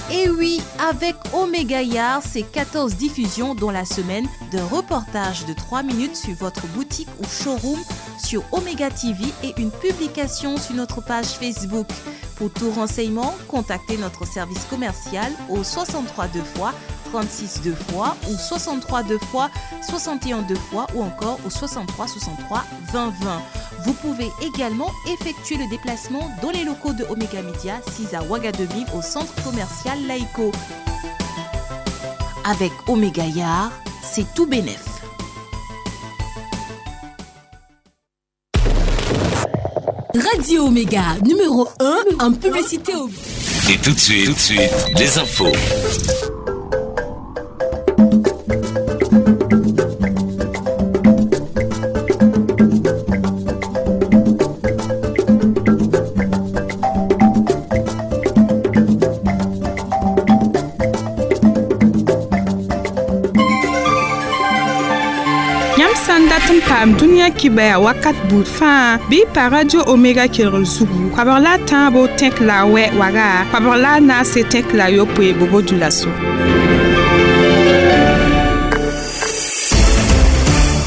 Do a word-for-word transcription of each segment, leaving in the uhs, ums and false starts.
Et oui, avec Omega Yar, c'est quatorze diffusions dans la semaine d'un reportage de trois minutes sur votre boutique ou showroom sur Omega T V et une publication sur notre page Facebook. Pour tout renseignement, contactez notre service commercial au soixante-trois deux fois, trente-six deux fois ou soixante-trois deux fois, soixante et un deux fois ou encore au soixante-trois soixante-trois vingt vingt. Vous pouvez également effectuer le déplacement dans les locaux de Omega Media, six à Ouagadougou au centre commercial Laïco. Avec Omega Yar, c'est tout bénef. Radio Omega, numéro un en publicité au... Et tout de suite, tout de suite, les infos. Sãn dat n paam dũniyã kibaya wakat buud fãa bɩ pa Radio Omega kelgr zugu koabg la a tãabo tẽk la a wɛ waga koabg la a naase tẽk la a yopoe bobo dulaso.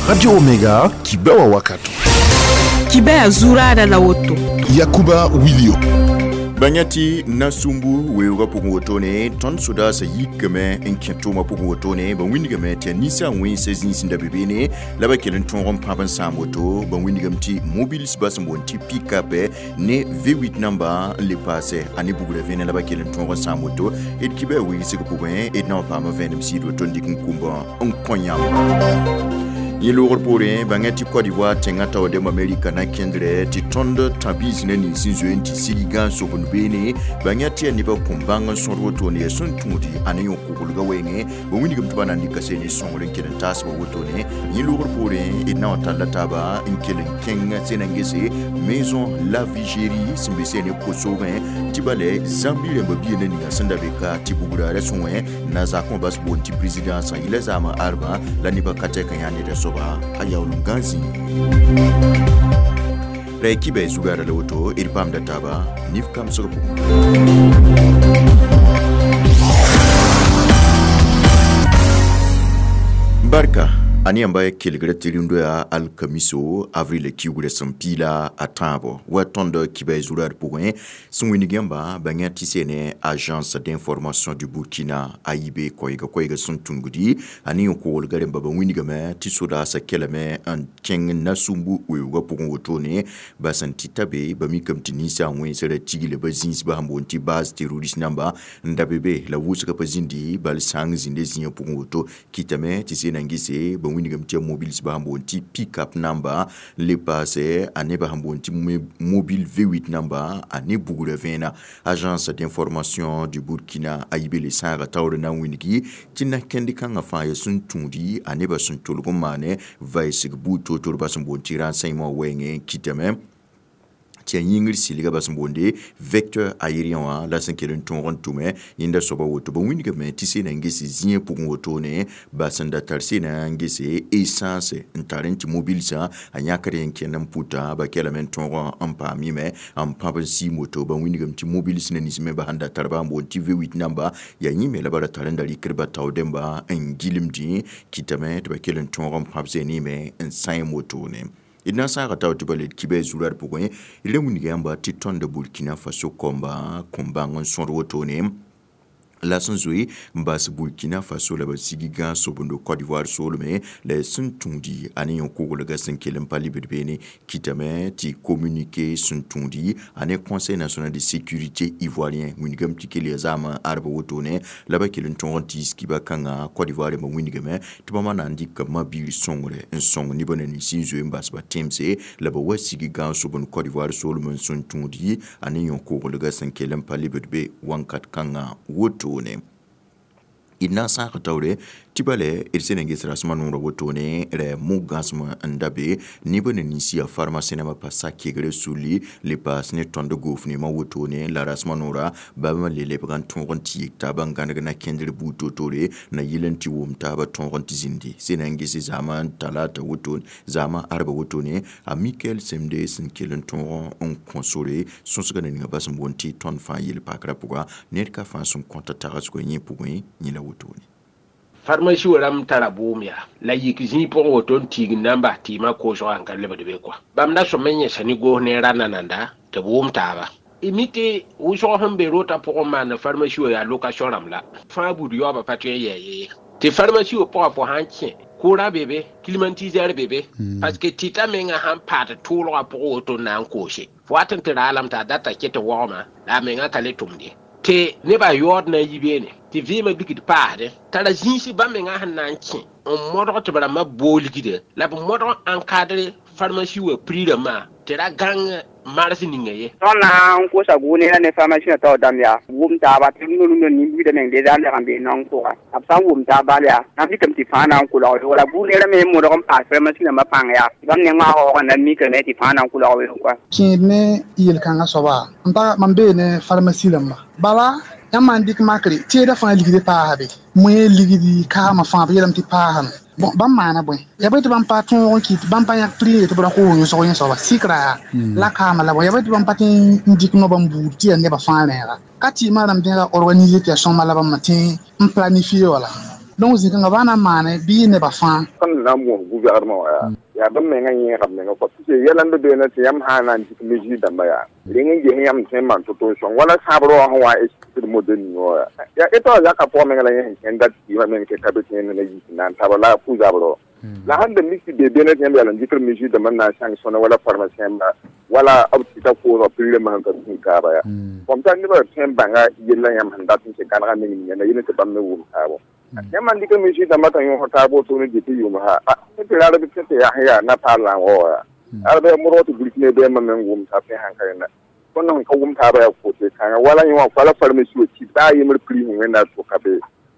Radio Omega kibawa wakato. Kibaya zuraada la woto. Yakuba Wilio. Banyati nasumbu weoogã pʋgẽ wotone tõnd sodaasã yikame n kẽ tʋʋmã pʋgẽ wotone ba wĩndgame tɩ yaa ninsã wẽnsa zĩis n da be beene la ba kell n tõog n pãb n sãam woto ba wĩndgame tɩ mobiles bas n boond tɩ pick-up ne V huit namba n le paase a ne bugrã vẽene la ba kell n tõog n sãam woto d kibã weegsg pʋgẽ d na n paam vẽenem sɩɩd woto n dɩk n kũmbã n kõ yãmb. Yẽ loogr poorẽ bãngã tɩ Côte d'Ivoire tẽngã taoodem Amerika na kẽndrɛ tɩ tõnd tãbiis na nins n zoe n tɩ sig gã n sobend beene bãngã tɩ yaa nebã kõm bãng n sõd wotone yaa sẽn tũudi a ne yõ-koglgã wɛɛngẽ ba wĩndgame tɩ ba na n dɩka seen sõngr n kell n taasba wotone yẽ loogr poorẽ d na wã talla taaba n kell n kẽng sẽn na n gese Maison La Vigérie sẽn be seen kosoogẽ tɩ bala Zambie rãmba bia na ninga sẽn da be ka tɩ bugra ra sõe na zakẽ bas boond tɩ présidence yɩla zaamã arbã la nebã ka tɛk n yaa neda soaba a yaool n gã zĩig ra y kibã zugara la woto d paamda taaba nif kamsg pʋgẽ. Barka a yãmba kelgra tɩ rĩndo yaa alkamiso avril kiugrã sẽn piila a tãabo wa tõnd kibã zurad pʋgẽ sẽn wĩnig yãmba bãngã tɩ sene agence d'information du Burkina a yibe koɛɛga koɛɛga sẽn tũngdi a ne yõ-koglga rẽmba ba wĩndgame tɩ sodaasã kelame n kẽng nasumbu weoogã pʋgẽ wotone ba sẽn tɩ ta be ba mikame tɩ ninsã wẽnsã ra tigla ba zĩisba sẽn boond tɩ base terroriste namba n da be be la wʋsgã pa zĩndi bal sãng zĩnda zĩigã pʋgẽ woto kɩtame tɩ sena n gese ba wĩndgame tɩ mobiles ba sẽn boond tɩ pick-up namba n le paase a nebã sẽn boond tɩ mobile V huit namba a ne bugrã vẽena agence d'information du Burkina a yibe le sãaga taoor na n wĩndgi tɩ na-kẽnd kãngã fãa yaa sẽn tũudi a nebã sẽn tolg n maane vaɩsg buud toor-toor ba sẽn boond tɩ renseignement wɛɛngẽ kɩtame tɩ yaa yĩngr sɩlgã bas n boonde vecteur aérien wã la sẽn kell n tõog n tʋme yẽnda soaba woto ba wĩndgame tɩ sena n ges zĩigã pʋgẽ wotone ba sẽn da tar sena n gese essence n tar n tɩ mobilsã a yãkr yẽ kẽnd n pʋtã ba kelame n tõog n paam yẽme n pãb n siim woto ba wĩndgame tɩ mobils na nins me ba sẽn da tar ba n boond tɩ V huit namba yaa yĩme la ba ra tar n da rɩkd ba taoodẽmba n gilmdẽ kɩtame tɩ ba kell n tõog n pãb zẽneme n sãem wotone. D na n sãaga tao tɩ ba le d kibã zurad pʋgẽ d ra wĩndga yãmba tɩ tõnd Burkina Faso kõmba kõm bãng n sõd wotone la sẽn zoe n bas Burkina Faso la ba sigi gã sobendo Côte d'Ivoire soolme la sẽn tũudi a ne yõ-koglgã sẽn kell n pa libd beene kɩtame tɩ communiqué sẽn tũudi a ne Conseil national de sécurité ivoirien wĩndgame tɩ kell yaa zaamã arba wotone la ba kell n tõog n tiis kiba kãngã Côte d'Ivoire rãmbã wĩndgame tɩ bãmba na n dɩka ma-biir sõngre n sõng nebã na nins n zoe n bas ba tẽmse la ba wa sigi gã sobend Côte d'Ivoire soolm n sẽn tũudi a ne yõ-koglgã sẽn kell n pa libd be wãnkat kãngã wotone. D na n sãag taoore Tɩ bale d sẽn na n ges rasmã noorã wotone rɛ mo-gãsem n da be neb ne ninsi yaa pharmacien nambã pa sak kegre sulli le paas ne tõnd goofnemã wotone la rasmã noora bãmb le lebg n tõog n tɩ yik taaba n gãneg na kẽndr buud to-tore na yɩl n tɩ wʋm taaba tõog n tɩ zĩndi sẽn na n ges zaamã talata wotone zaamã arba wotone a Michael Semde sẽn kell n tõog n kõ sore sõsga na ninga bas n boond tɩ tõnd fãa yel-pakrã pʋga ned ka fãa sẽn kõta tagsgã yẽ pʋgẽ yẽ la wotone. Pharmacie wa rãmb tara bʋʋm yaa la yik zĩig pʋgẽ woto n tiig n na n bas tɩɩmã koosgã n ka lebd be kɔa bãmb da sõm n yẽsa ne goos ne ra nananda tɩ b wʋm taaba y mi tɩ wʋsg sẽn be rotã pʋgẽ maand pharmacie wa yaa location rãmb la fãa buud yaoobã pa tõe n yɛɛ ye tɩ pharmacie wa pʋgã fo sãn kẽ courant be be climatiseur be be parce que tɩta menga sãn paad tʋʋlgã pʋgẽ woto n na n koose fo wat n tɩ raalame t'a data ket tɩ waoogmã la a menga ka le tʋmde tɩ nebã yaood na n yi beene tɩ vɩɩmã bigd paasdẽ tara zĩisi bãmb menga sẽn na n kẽ n modg tɩ b rãmbã boolgda la b modg n encadre pharmacie wã prix rãmbã tɩ ra gãng mars ninga ye. Tõnd na n kosa gʋʋne ne pharmacie wã taoor dãmb yaa wʋm taaba tɩ rũndã nin-buidã meng deza n leg n bee naong pʋga b sã n wʋm taab bal yaa na n dɩkame tɩ fãa na n kolg wala gʋʋnera me modg n paas pharmacie rãmbã pãng yaa tɩ bãmb ne wãag waoogã na n mikame tɩ fãa na n kolg weoog kɔa. Kẽed ne yel-kãngã soaba n pa mam bee ne pharmacie rãmba bala yãmb maan dɩk makre tẽedã fãa ligd paasa be moẽ ligdi kaamã fãa b yeelame tɩ paasame bon bãmb maana bõe yaa bõe tɩ bãmb pa tõog n kɩt bãmb pa yãk prix tɩ b ra koos yõsg yẽ soaba sɩkra yaa la kaamã la bõe yaa bõe tɩ bãmb pa tɩ n dɩk noaba n buud tɩ yaa nebã fãa rẽega ka tɩɩmã rãmb tẽega organiser tɩ yaa sõma la bãmb tɩ n planifier wala donc zĩ-kãngã baa na n maane bɩ nebã fãa. Tõnd na n moos gʋvɛgdmã wã yaa yaa bãmb mengã yẽegame menga kɔ tɩ yɛla n be beene tɩ yãmb sã n na n dɩk mesure dãmbã yaa reng n ges yãmb tõe n maan to-to n sõng wala sãabrã wã sẽn wa n expliquer model ninga wã yaa yaa t'a zakã pʋgã meng la yẽ sẽn kẽnd dat kɩɩmã meng tɩ ka be tẽen na yik n na n taba la a pu-zabrã la sãn da mik tɩ be beene tɩ yãmb yaa n dɩkr mesure dãmbã n na n sãng sõna wala pharmacien ba wala b tɩta koosg prix rãmbã sẽn ka tũud taaba yaa comme ça nebã tõe n bãnga yella yãmb sẽn dat n tɩ gãnega meng ninga na yel tɩ bãmb me wʋm taabo yãmb n dɩk mesure dãmbã t'a yõsg taab wotone dɩ tɩ yʋʋm ha tɩ rarb tɩ tɩ yaa sẽn yaa na paal la n wao yaa ad bɩ modg tɩ burkine bɩ yãmb meng wʋm taab tɩ sãn ka rẽnda tõnd sẽn ka wʋm taabã yaa kote kãnga wala yẽ wã wala pharmacie wã tɩ baa yembr prix sẽn wẽnda tʋka be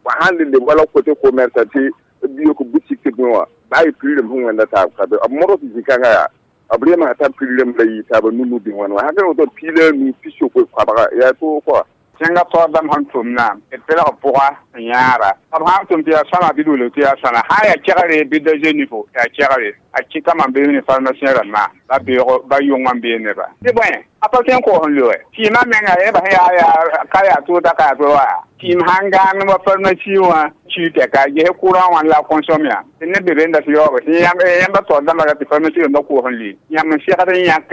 wa sãn le leb wala côté commerce tɩ b yok boutique tɩ bõe wã baa yɩ prix rãmb sẽn wẽnda taab ka be b modg tɩ zĩ-kãngã yaa b reema t'a prix rãmb la yɩ taaba nu-nu bɩ wãn wã sãn ka woto piila nu pi-sokoe koabga yaa toog kɔa. Tẽngã taoor dãmb sẽn tʋmna d pelg pʋga n yãara b sã n tʋm tɩ yaa sõma bɩ d tɩ yaa sõna sã n yaa kɛgre bɩ da zenifo yaa kɛgre a kɩta mam bee ne pharmacien rãmbã ba beoogo ba yʋngã n bee neba tɩ bõe a pa tõe n koos n loe tɩɩmã menga yẽba sẽn yaa yaa ka yaa tʋʋda ka yaa to wa tɩɩm sãn gãan wa pharmacie wã tui tɛka ges courant wã la consomme ya tɩ neb be be n dat yaooge tɩ yãmba taoor dãmbã ra tɩ pharmacie rãmbã koos n lʋɩ yãmb n segd n yãk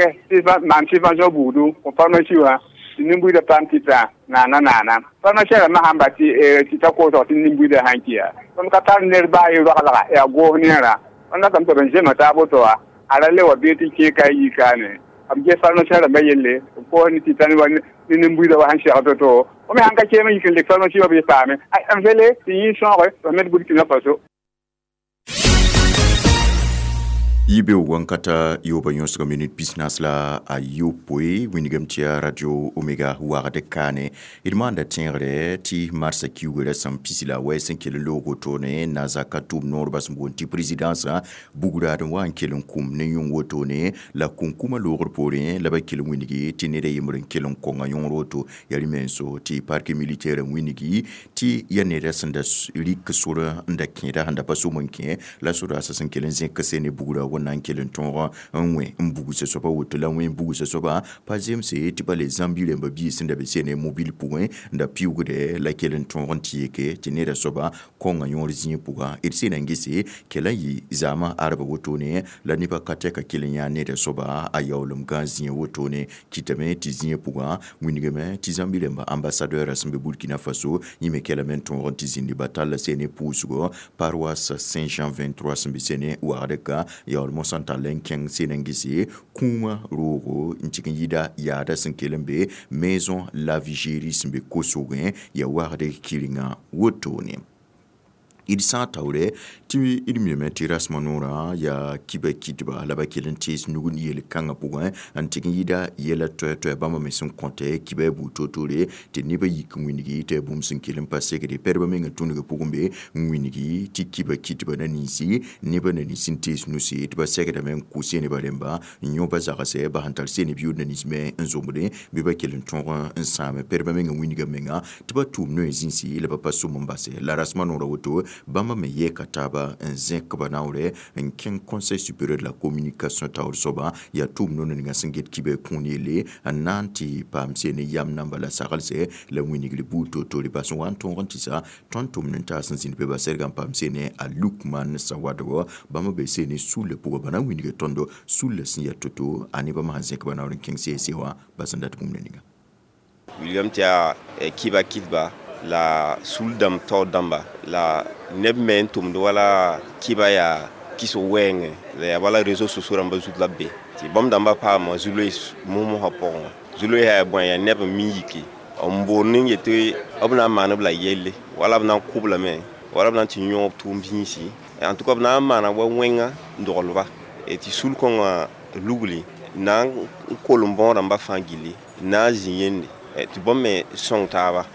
maan subvention buudu pharmacie wã tɩ nin-buidã paam tɩta naana naana pharmacien rãmbã sãn ba tɩ tɩ ta koosg tɩ nin-buidã sãn kɩ yaa tõnd ka tar ned baa ye roaglga yaa goos neerã tõnd datame tɩ b n zema taab woto wa a ra le wa bee tɩ kẽe ka yi kaane b ges pharmacien rãmbã yelle b koos ne tɩta ne nin-buidã wa sẽn segd to-to fo me sãn ka keem n yik n lek pharmacie wã bɩ paame m fele tɩ yẽ sõoge b me d Burkina Faso. Yibeoog wãnkata yooba yõsga minut pis-naas la a yopoe wĩnigame tɩ yaa radio Omega wagd kaane d maanda tẽegre tɩ marsã kiugrã sẽn pisi la a wɛɛ sẽn kell n loog wotone nazaaka tʋʋm noorba sẽn boond tɩ présidence bugraad n wa n kell n kũm ne yõng wotone la kũnkũmã loogr poorẽ la ba kell n wĩnigi tɩ ned a yembr n kell n kõnga yõor woto yaa rẽ menso tɩ parquet militaire n wĩnigi tɩ yaa neda sẽn da rɩk sor n da kẽeda sẽn da pa som n kẽ la sodaasã sẽn kell n zẽk sene bugrã na n kell n tõog n wẽ n bugsa soaba woto la wẽ bugsa soaba pa zemse tɩ pa le zãmbi rãmba biis sẽn da be sene mobile pʋgẽ n da piʋʋgdɛ la kell n tõog n tɩ yeke tɩ neda soaba kõnga yõor zĩig pʋga d sẽn na n gese kela n yɩ zaamã arba wotone la nebã ka tɛka kell n yãa neda soaba a yaoolem gã zĩig wotone kɩtame tɩ zĩig pʋgã wĩnigame tɩ zãmbi rãmba ambassadeur sẽn be Burkina Faso yẽ me kelame n tõog n tɩ zĩndi ba talla sene pʋʋsgo paroisse Saint-Jean vingt-trois sẽn be sene wagd ka yaool mosã n tall n kẽng sẽn n gese kũumã roogo n tɩg n yɩda yaada sẽn kell n be maison Lavigérie sẽn be kosogẽ yaa wagd kɩrenga wotone. D sã n taoore tɩ d miame tɩ rasmã noorã yaa kiba kɩtba la ba kell n tees nug n yel-kãngã pʋgẽ n tɩg n yɩɩda yɛla toɛ-toɛ bãmba me sẽn kõte kiba buud toor-toore tɩ nebã yik n wĩngi tɩ yaa bũmb sẽn kell n pa segde pɛdbã meng n tũnugã pʋgẽ be n wĩngi tɩ kiba kɩtba na ninsi nebã na nins n tees nusi tɩ ba segdame n kʋ seneba rẽmba n yõ ba zagsɛ ba sẽn tar seneb yʋʋd na nins me n zomdẽ bɩ ba kell n tõog n sãame pɛdbã meng n wĩnga menga tɩ ba tʋʋm noe zĩnsi la ba pa sʋm n base la rasmã noorã woto bãmba me yɛɛka taaba n zẽk ba naoorɛ n kẽng Conseil supérieur de la communication taoor soaba yaa tʋʋm no ninga sẽn get kiba kũun yelle n na n tɩ paam seen yam namba la saglsɛ la wĩnigr buud toor-toore bas n wa n tõog n tɩ sa tõnd tʋmd n taas n zĩnd be ba sɛrga n paam seene a Lukman Sawadogo bãmba be seene sulla pʋgã ba na n wĩnga tõndo sulla sẽn yaa to-to a ne bãmb sẽn zẽk ba naoor n kẽng C S C wã ba sẽn dat bũmb ninga. William tɩ yaa kiba kɩtba la sul dãmb taoor dãmba la neb me n tʋmd wala kiba yaa kɩs wɛɛngẽ la yaa wala réseaux sociaux rãmbã zut la b be tɩ bãmb dãmbã paama zu-loees mos-mosã pʋgẽ wã zu-loees yaa bõe yaa neb n mi yiki n boond n yetɩ b na n maan b la yelle wala b na n kʋ-b lame wala b na n tɩ yõog tʋʋm zĩisi en tout cas b na n maana wa wẽnga n doglba tɩ sul kõngã lugli na n kolem bõog rãmbã fãa gilli na n zĩ yende tɩ bãmb me sõng taaba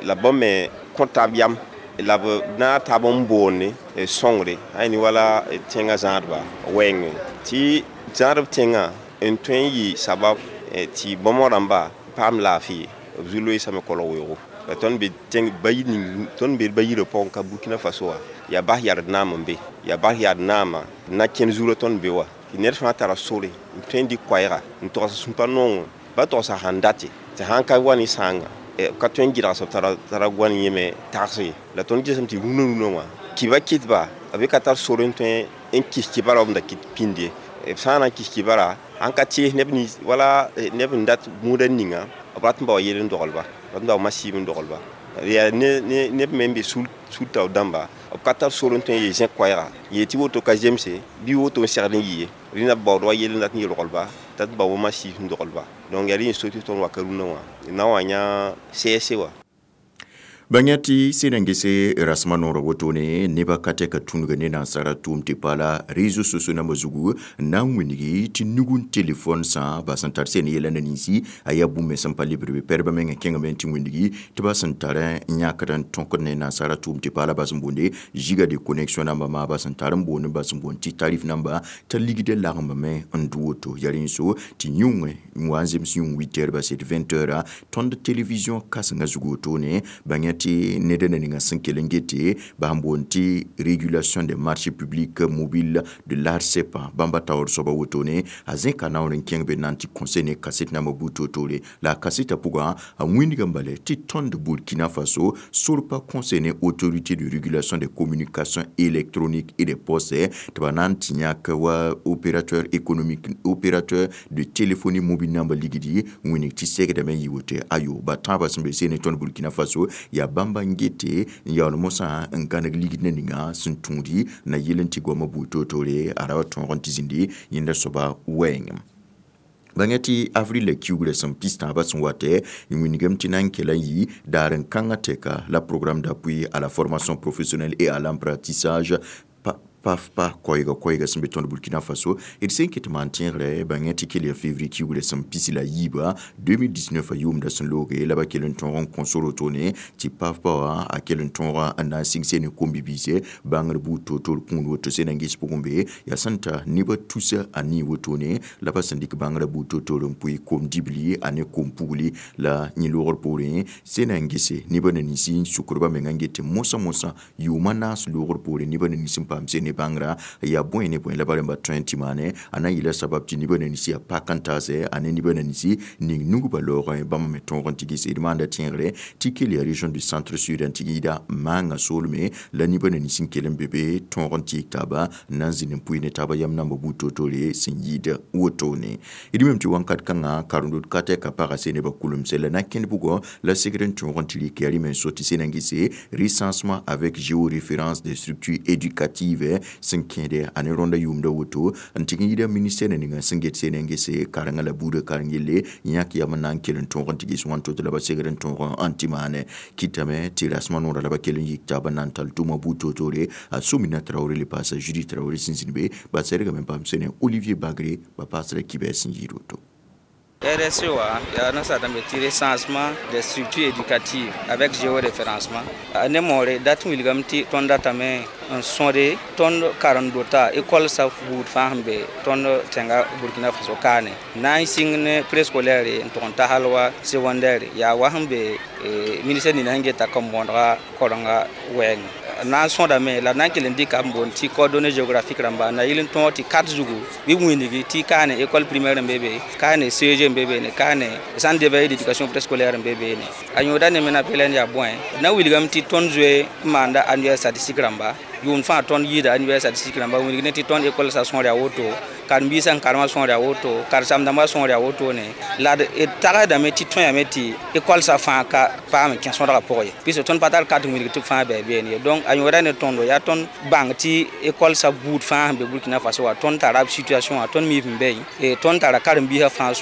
la bãmb me kõ taab yam la b na taab n boonde sõngre ãy wala tẽngã zãadba wɛɛngẽ tɩ zãadb tẽngã n tõe n yɩ sabab tɩ bãmb rãmba paam laafɩ b zu-loeesame kolg weoogo la tõnd be tẽng bayi ning tõnd be bayirã pʋgẽ ka Burkina Faso wã yaa bas yard naam n be yaa bas yard naamã na kẽnd zurã tõnd be wa tɩ ned fãa tara sore n tõe n dɩk koɛɛga n togs sũ-pa noongẽ ba togsa sãn date tɩ sãn ka wa ne sãanga ka tõe n gɩdgs b tara tara goan yẽme tags ye la tõnd gesem tɩ rũnã rũnã wã kiba kɩtba b ka tar sore n tõe n kis kibara b da kɩt pĩnde b sã n na n kis kibara sãn ka tees neb nins wala neb n dat bũudã ninga b rat n bao yel n dogelba rat n bao masiib n dogelba yaa neb me n be sul taoor dãmba b ka tar sor n tõe n yee zẽk koɛɛga yee tɩ woto ka zemse bɩ woto n segd n yɩ ye rẽna b baood wa yel n dat n yelglba t'a bao wa masiib n dogelba donc yaa rẽ so tɩ tõnd waka rũnã wã na wa yã C S C wã. Bãng tɩ sẽn n gese rasmã noorã wotone nebã ka tɛka tũnuga ne nansara tʋʋm tɩ paala réseaux sociaux nambã zugu n na n wĩngi tɩ nug n telefon sã ba sẽn tar seen yɛla na ninsi a yaa bũmb me sẽn pa lebr be pɛdbã meng kẽngame tɩ wĩngi tɩ ba sẽn tar n yãkd n tõkd ne nansara tʋʋm tɩ paala ba sẽn boonde giga de connexion namba maa ba sẽn tar n boond ba sẽn boond tɩ tarif namba t'a ligda lagembame n dʋ woto yaa rẽ so tɩ yũngẽ n wa n zems yũng huit heures based vingt heures tõnd télévision kãsengã zug wotone bãng tɩ ned na ninga sẽn kell n gete ba sẽn boond tɩ régulation des marchés publics mobiles de l'ARSEP bãmba taoor soaba wotone a zẽka naoor n kẽng be na n tɩ conseil ne kaset nambã buud toor-toore la a kasetã pʋgã a wĩndgã bale tɩ tõnd Burkina Faso sor pa conseil ne autorité de régulation des communications électroniques et des postes tɩ ba na n tɩ yãk wa opérateur économique opérateur de téléphonie mobile namba ligdi wĩnig tɩ segdame n yɩ woto ayo ba tãabã sẽn be seen tõnd Burkina Faso yaa bãmba n gete n yaool mosã n gãneg ligd na ninga sẽn tũudi na yel n tɩ goamã buud toor-toore a ra wa tõog n tɩ zĩndi yẽnda soaba wɛɛngẽ. Bãng tɩ avril la kiugrã sẽn pis tãabã sẽn watɛ n wĩngame tɩ na n kela n yɩ daar n kãngã tɛka la programme d'appui à la formation professionnelle et à l'apprentissage PAFPA koɛɛga koɛɛga sẽn be tõnd Burkina Faso d sẽn ket maan tẽegrɛ bãng tɩ kell yaa février kiugrã sẽn pis la yiiba deux mille dix-neuf a yʋʋmda sẽn looge la ba kell n tõog n kõ sor wotone tɩ PAFPA wã a kell n tõoga n na n sɩng seen kom-bibiise bãngr buud toor-toor kũun woto sẽn na n ges pʋgẽ be yaa sẽn ta nebã tusa a nii wotone la ba sẽn dɩk bãngrã buud toor-toor n pʋɩ kom-dibli a ne kom-pugli la yẽ loogr poorẽ sẽn na n gese nebã na ninsi n sukdba menga n get mosã mosã yʋʋma naas loogr poorẽ nebã na nins n paam seen ne bãngrã yaa bõe ne bõe la ba rẽmba tõe n tɩ maane a na n yɩla sabab tɩ nebã na ninsi yaa pak n taasɛ a ne nebã na ninsi ning nugba laoogẽ bãmb me tõog n tɩ ges d maanda tẽegre tɩ kell yaa région du centre sud n tɩ yɩɩda maangã soolme la nebã na nins n kell n be be tõog n tɩɩg taaba n na n zĩnd n pʋɩ ne taaba yam namba buud toor-toore sẽn yɩɩd wotone d mem tɩ wãnkat kãngã karendod ka tɛka paga se nebã kulemsɛ la na kẽnd bugɔ la segd n tõog n tɩ rɩk yaa rẽ me n so tɩ sẽn na n gese recensement avec géoréférence des structures éducatives. sẽn kẽede a ne rõnda yʋʋmda woto n tɩg n yida ministère ninga sẽn get sene n gese karengã la buudã kareng yelle yãk yam n na n kell n tõog n tɩ ges wãn to tɩ la ba segd n tõog n tɩ maane kɩtame tɩ rasmã noorã la ba kell n yik taab n na n tall tʋʋmã buud toor-toore a Somina Traoré le paasa Judy Traoré sẽn zĩnd be ba sɛdgame n paam sene Olivier Bagre ba paasra kibɛs sẽn yɩɩd woto. R S E wa yaa nasaar-dãmb tɩ recensement des structures éducatives avec géoréférencement. Ne moore dat n wilgame tɩ tõnd datame n sõde tõnd karen-dota école sa buud fãa sẽn be tõnd tẽnga Burkina Faso kaane na n sɩng ne préscolaire n tʋg n ta hal wa secondaire yaa wa sẽn be ministère nina sẽn geta kom-bõodga korenga wɛɛngẽ na n sõdame la na n kell n dɩka b boond tɩ coordonnées géographique rãmba na yɩl n tõog tɩ carte zugu bɩ b wĩndgi tɩ kaane école primaire n be be, kaane C E G n be beene, kaane centre d'éveil d'éducation préscolaire n be beene. A yõoda ne me na pelɛn yaa bõe na wilgame tɩ tõnd zoe n maanda annuaire statistique rãmba yʋʋm fãa tõnd yɩɩda annuaire statistique rãmba wilg ne tɩ tõnd école sa sõor yaa woto, karen-biisã n karemã sõor yaa woto, karen-sãmb-dãmbã sõor yaa wotone la d tagsdame tɩ tõyame tɩ école sa fãa ka paam n kẽ sõdgã pʋgẽ ye pis tõnd pa tar carte wilg tɩ b fãa bɩ beene ye. Donc a yõoda ne tõndo yaa tõnd bãng tɩ école sa buud fãa sẽn be Burkina Faso wa tõnd tara b situation wã, tõnd mi b sẽn be, tõnd tara karen-biisã fãa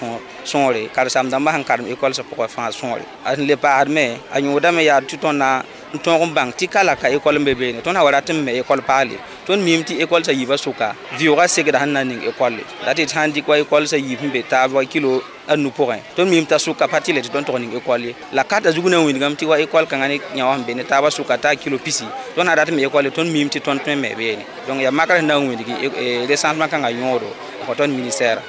sõore, karen-sãmb-dãmbã sẽn karem école sa pʋgã fãa sõore. A sẽn le paasdme a yõodame yaa tɩ tõnd na n tõog n bãng tɩ ka la ka école n be beene tõnd sã wa rat n me école paale tõnd miime tɩ école sa yiibã sʋka vɩʋʋgã segda sẽn na n ning école la tɩ sãn dɩk wa école sa yiib sẽn be taab wa kilo a nu pʋgẽ tõnd miime t'a sʋka pa tɩ le tɩ tõnd tʋg ning école ye la karta zug na n wilgame tɩ wa école kãngã ne yã wã sẽn be ne taabã sʋka t'a kilo pisi tõnd sã rat n me école tõnd miime tɩ tõnd tõe n me beene. Donc yaa makr sẽn na n wilgi recensement kãngã yõodo n kõ tõnd ministère.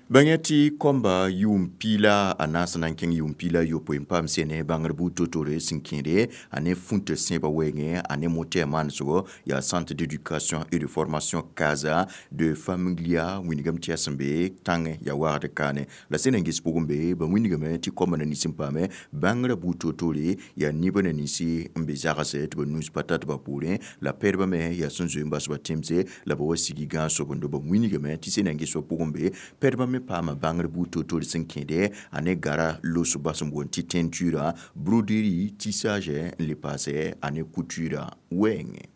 Bãng tɩ kõmba yʋʋm piila a naas na n kẽng yʋʋm piila yopoe n paam sene bãngr buud to-tore sẽn kẽede a ne fũnt sẽebã wɛɛngẽ a ne motɛɛ maansgo yaa Centre d'éducation et de formation Casa de Familia wĩnigame tɩ yaa sẽn be tãngẽ yaa wagd kaane la sẽn na n ges pʋgẽ be ba wĩnigame tɩ kõmba na nins n paame bãngrã buud to-tore yaa nibã na ninsi n be zagsɛ tɩ ba nus pa tat ba poorẽ la pɛdbã me yaa sẽn zoe n bas ba tẽmse la ba wa sigi gãag-sobendo ba wĩnigame tɩ sẽn na n ges wa pʋgẽ be pɛdbã me paama bãngr buud to-tore sẽn kẽede a ne gara los bas n boond tɩ teinture, broderie, tissage n le paasɛ a ne couture wɛɛngẽ.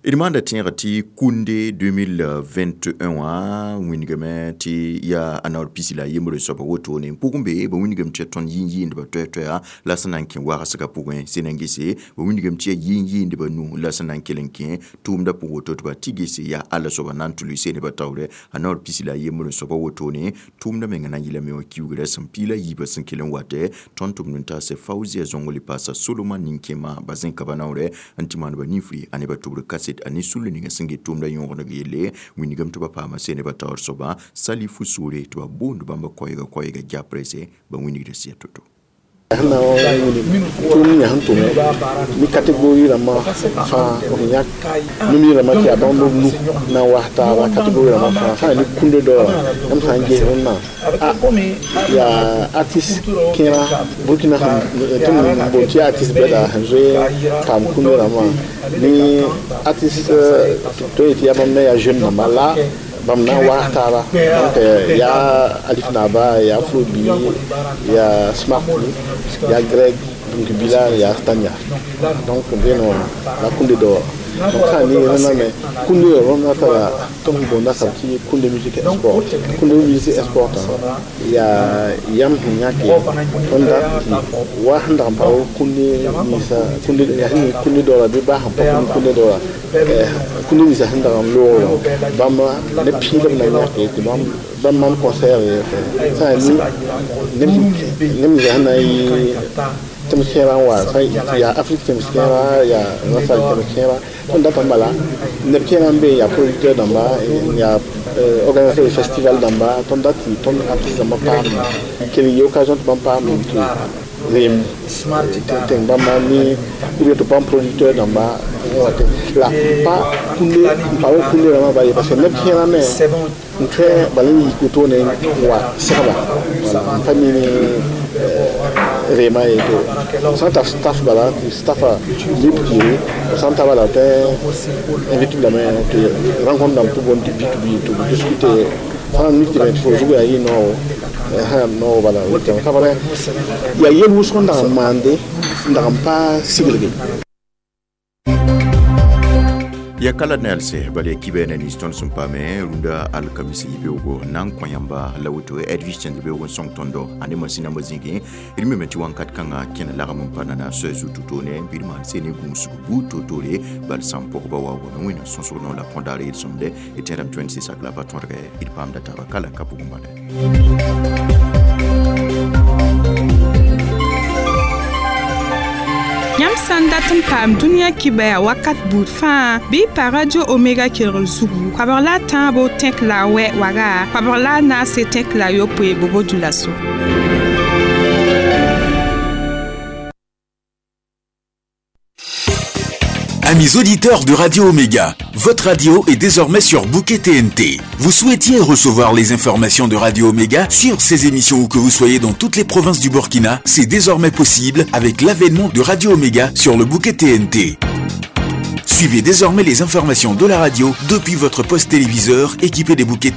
D maanda tẽegã tɩ Kunde deux mille vingt et un wã wĩnigame tɩ yaa a naoor pisi la a yembre soaba wotone n pʋgẽ be ba wĩnigame tɩ ya tõnd yĩn-yɩɩndbã toɛ-toɛa la sẽn na n kẽ wagsgã pʋgẽ sẽn na n gese ba wĩnigame tɩ yaa yĩn-yɩɩndbã nu la sẽn na n kell n kẽ tʋʋmdã pʋgẽ woto tɩ ba tɩ gese yaa alla soaba na n tʋ seeneba taoorɛ a naoor pisi la a yembre soaba wotone tʋʋmdã menga na n yɩlame wã kiugrã sẽn piila yiibã sẽn kell n watɛ tõnd tʋmd n taasɛ Fauzia Zõngo le paasa Soloma nin-kẽema ba zẽka ba naoorɛ n tɩ maan ba ninfri a ne ba tʋbr kaset a ne sul ninga sẽn get tʋʋmdã yõgeneg yelle wĩnigame tɩ ba paama seneba taoor soaba Salifu Sore tɩ ba boond bãmba koɛɛga koɛɛga japrɛsɛ ba wĩnigda sɩa to-to. Sẽn na n wilg tʋʋm ninga sẽn tʋme ne catégorie rãmbã fãa b yãk numi rãmbã tɩ yaa bãmb b nu na n was taaba catégorie rãmbã fãa sã n yaa ne kũnde daoora yãmb sã n ges rẽndã a yaa artiste kẽera Burkina tɩ m boond tɩ yaa artiste bɛda sẽn zoe paam kũnde rãmbã ne artiste tõe yetɩ yaa bãmb me yaa jeune rãmba la bãmb na n waas taaba. Donc yaa Alif Naba, yaa Afrobi, yaa Smart, yaa Greg, donc Bilal, yaa Stania, donc bẽen wã la kũnde daoora. Donc sã n ne rẽndã me kũnde rõndã tara tɩ b boonda sab tɩ Kunde Musique Sport. Kunde Musique Sport yaa yam sẽn yãke tõnd dat tɩ wa sẽn dag n pa kũnde ninsa kũnde yaa sẽn kũnde daoora bɩ baa sẽn pa kũnde daoora kũnde ninsa sẽn dag n loogr bãmb ne pĩidb na yãke tɩ bãmb maan concert sã n neb ninsa sẽn na n yɩ tẽms kẽerã n wa yaa Afrique tẽms kẽerã yaa rasal tẽms kẽerã tõnd datame bala neb kẽerã n be yaa producteur dãmba yaa organisateur de festival dãmba tõnd dat tɩ tõnd artiste dãmbã paam kell yɩ occasion tɩ bãmb paam tɩ reem tẽng bãmba ne ou bien tɩ bãmb producteur dãmba la pa kũnde n pa wa kũnde rãmbã bala ye parce que neb kẽerã me n tõe bala n yik wotone n wa sɛgba wala n pa mi ne reema ye to sã n tar staff bala tɩ staffa lib kɩɩre sã n ta bala tɩ invite lame tɩ rencontre dãmb tɩ boond tɩ B to B tɩ b discute sã n mik tɩ me tɩ fo zug yaa yɩ noog sã noog bala ka bala yaa yel wʋsg n dag n maande n dag n pa siglge. Ya kala nelse bal ya kibe na nins tõnd sẽn paame rũndã alkamisi beoogo na n kõ yãmba la woto Edwige tẽnd beoog n sõng tõndo ane masĩn nambã zĩigẽ d meme tɩ wãnkat kãngã kẽna lagm n pa nana soɛ zu to-to ne bɩ d maan se ne gũusg buud to-tore bal sãn pʋgba wa wame wẽnnaam sõsg no la kõ daar yel-sõmde d tẽedame tɩ wẽnd sɩsak la pa tõdgɛ d paamda taaba kala ka pʋgẽ bala. Yãmb sã n dat n paam dũniyã kibaya wakat buud fãa bɩ y pa Radio Omega kelgr zugu koabg la a tãabo tẽk la a wɛ waga koabg la a naase tẽk la a yopoe bobo dulaso. Amis auditeurs de Radio Omega, votre radio est désormais sur Bouquet T N T. Vous souhaitiez recevoir les informations de Radio Omega sur ces émissions où que vous soyez dans toutes les provinces du Burkina, c'est désormais possible avec l'avènement de Radio Omega sur le Bouquet T N T. Suivez désormais les informations de la radio depuis votre poste téléviseur équipé des bouquets T N T.